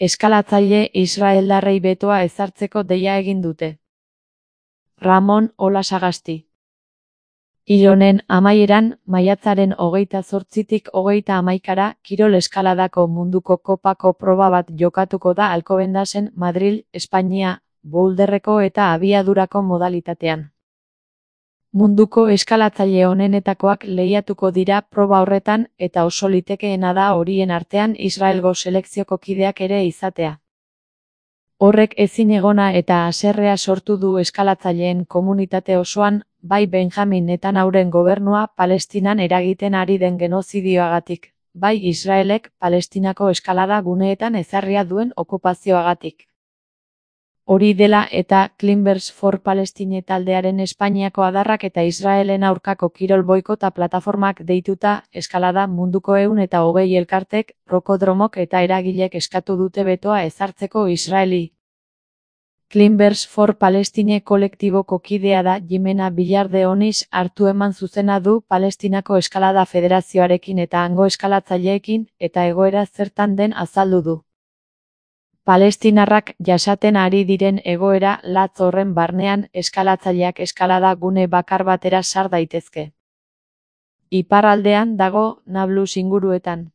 Eskalatzaile israeldarrei betoa ezartzeko deia egin dute. Ramon Olasagasti. Hil honen amaieran, maiatzaren 28tik 31ra, kirol eskaladako munduko kopako proba bat jokatuko da Alcobendasen Madril, Espainia, boulderreko eta abiadurako modalitatean. Munduko eskalatzaile onenetakoak lehiatuko dira proba horretan eta oso litekeena da horien artean Israelgo selekzioko kideak ere izatea. Horrek ezinegona eta haserrea sortu du eskalatzaileen komunitate osoan, bai Benjamin Netanyauren gobernua Palestinan eragiten ari den genozidioagatik, bai Israelek Palestinako eskalada guneetan ezarria duen okupazioagatik. Hori dela eta Climbers for Palestine taldearen Espainiako adarrak eta Israelen aurkako kirol boikota plataformak deituta, eskalada munduko 120 elkartek, rokodromok eta eragilek eskatu dute betoa ezartzeko Israeli. Climbers for Palestine kolektiboko kidea da Jimena Villar de Onís hartu eman zuzena du Palestinako Eskalada Federazioarekin eta hango eskalatzaileekin, eta egoera zertan den azaldu du. Palestinarrak jasaten ari diren egoera latz horren barnean eskalatzaileak eskalada gune bakar batera sar daitezke. Iparraldean dago Nablus inguruetan.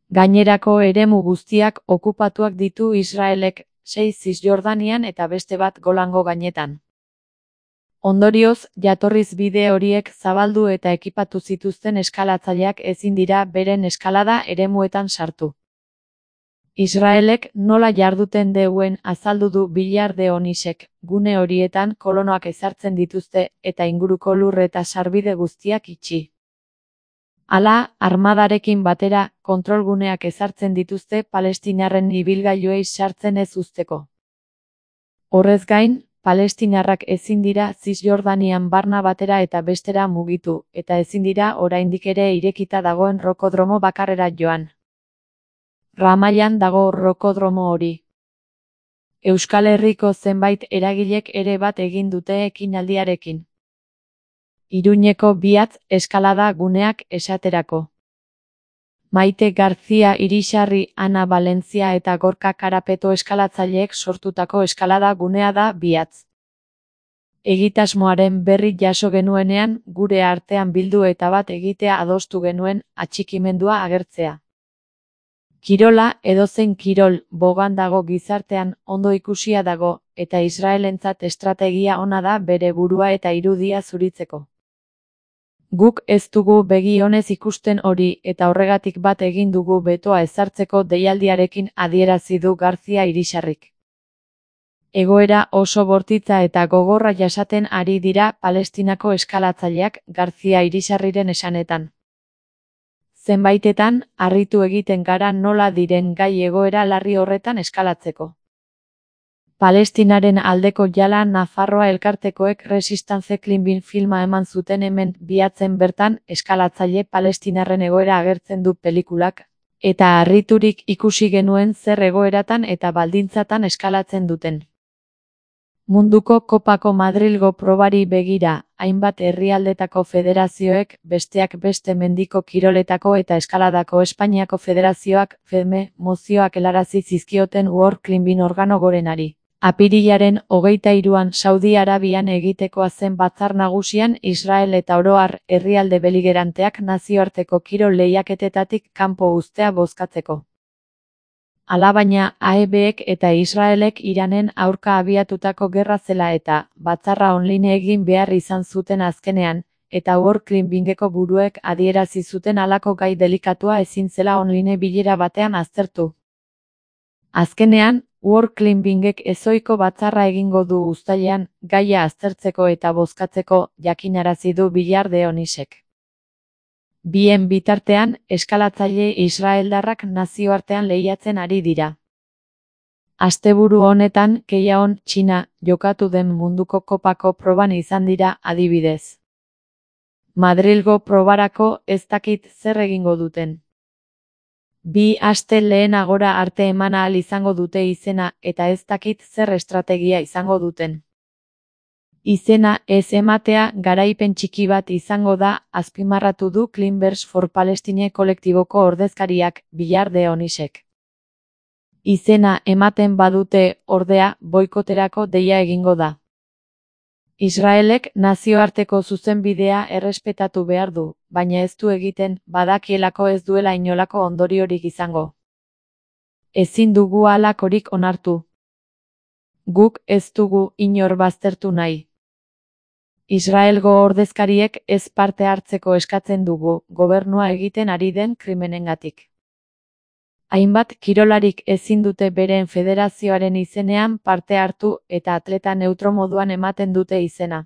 Gainerako eremu guztiak okupatuak ditu Israelek, 6 Zisjordanian eta beste bat Golango gainetan. Ondorioz, jatorriz bide horiek zabaldu eta ekipatu zituzten eskalatzaileak ezin dira beren eskalada eremuetan sartu. Israelek nola jarduten deuen azaldu du Villar de Onések, gune horietan kolonoak ezartzen dituzte eta inguruko lur eta sarbide guztiak itxi. Hala, armadarekin batera, kontrolguneak ezartzen dituzte palestinarren ibilgailuei sartzen ez uzteko. Horrez gain, palestinarrak ezin dira Zisjordanian barna batera eta bestera mugitu, eta ezin dira oraindik ere irekita dagoen rokodromo bakarrera joan. Ramaian dago rokodromo hori. Euskal Herriko zenbait eragilek ere bat egin dute ekinaldiarekin. Iruñeko Biatz eskalada guneak esaterako. Maite Garzia Irisarri, Ana Valentzia eta Gorka Karapeto eskalatzaileek sortutako eskalada gunea da Biatz. Egitasmoaren berri jaso genuenean, gure artean bildu eta bat egitea adostu genuen, atxikimendua agertzea. Kirola edozein kirol bogan dago gizartean ondo ikusia dago, eta Israelentzat estrategia ona da bere burua eta irudia zuritzeko. Guk ez dugu begi onez ikusten hori eta horregatik bat egin dugu betoa ezartzeko deialdiarekin adierazi du Garzia Irisarrik. Egoera oso bortitza eta gogorra jasaten ari dira Palestinako eskalatzaileak Garzia Irisarriren esanetan. Zenbaitetan, harritu egiten gara nola diren gai egoera larri horretan eskalatzeko. Palestinaren aldeko jala Nafarroa elkartekoek Resistance Climbing filma eman zuten hemen Biatzen bertan eskalatzaile palestinarren egoera agertzen du pelikulak, eta harriturik ikusi genuen zer egoeratan eta baldintzatan eskalatzen duten. Munduko kopako Madrilgo probari begira, hainbat herrialdetako federazioek, besteak beste mendiko kiroletako eta eskaladako Espainiako federazioak, FEDME, mozioak helarazi zizkioten World Climbing organo gorenari. Apirilaren 23an Saudi Arabian egitekoa zen batzar nagusian Israel eta oro har herrialde beligeranteak nazioarteko kirol lehiaketetatik kanpo uztea bozkatzeko. Alabaina, AEBek eta Israelek Iranen aurka abiatutako gerra zela eta batzarra online egin behar izan zuten azkenean, eta World Climbingeko buruek adierazi zuten halako gai delikatua ezin zela online bilera batean aztertu. Azkenean, World Climbingek ezohiko batzarra egingo du uztailean, gaia aztertzeko eta bozkatzeko, jakinarazi du Villar de Onések. Bien bitartean, eskalatzaile israeldarrak nazioartean lehiatzen ari dira. Asteburu honetan, Keiaon, Txina, jokatu den munduko kopako proban izan dira adibidez. Madrilgo probarako ez dakit zer egingo duten. 2 aste lehenagora arte eman ahal izango dute izena eta ez dakit zer estrategia izango duten. Izena ez ematea garaipen txiki bat izango da, azpimarratu du Climbers for Palestine kolektiboko ordezkariak, Villar de Onések. Izena ematen badute, ordea, boikoterako deia egingo da. Israelek nazioarteko zuzenbidea errespetatu behar du, baina ez du egiten, badakielako ez duela inolako ondoriorik izango. Ezin dugu halakorik onartu. Guk ez dugu inor baztertu nahi. Israelgo ordezkariek ez parte hartzeko eskatzen dugu, gobernua egiten ari den krimenengatik. Hainbat kirolarik ezin dute beren federazioaren izenean parte hartu eta atleta neutro moduan ematen dute izena.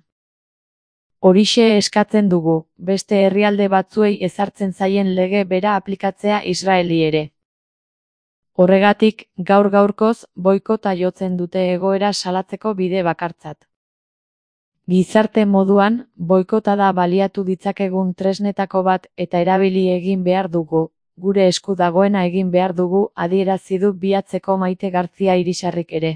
Horixe eskatzen dugu, beste herrialde batzuei ezartzen zaien lege bera aplikatzea Israeli ere. Horregatik, gaur-gaurkoz, boikota jotzen dute egoera salatzeko bide bakartzat. Gizarte moduan, boikota da baliatu ditzakegun tresnetako bat eta erabili egin behar dugu, gure esku dagoena egin behar dugu, adierazi du Bihatzeko Maite Garzia Irisarrik ere.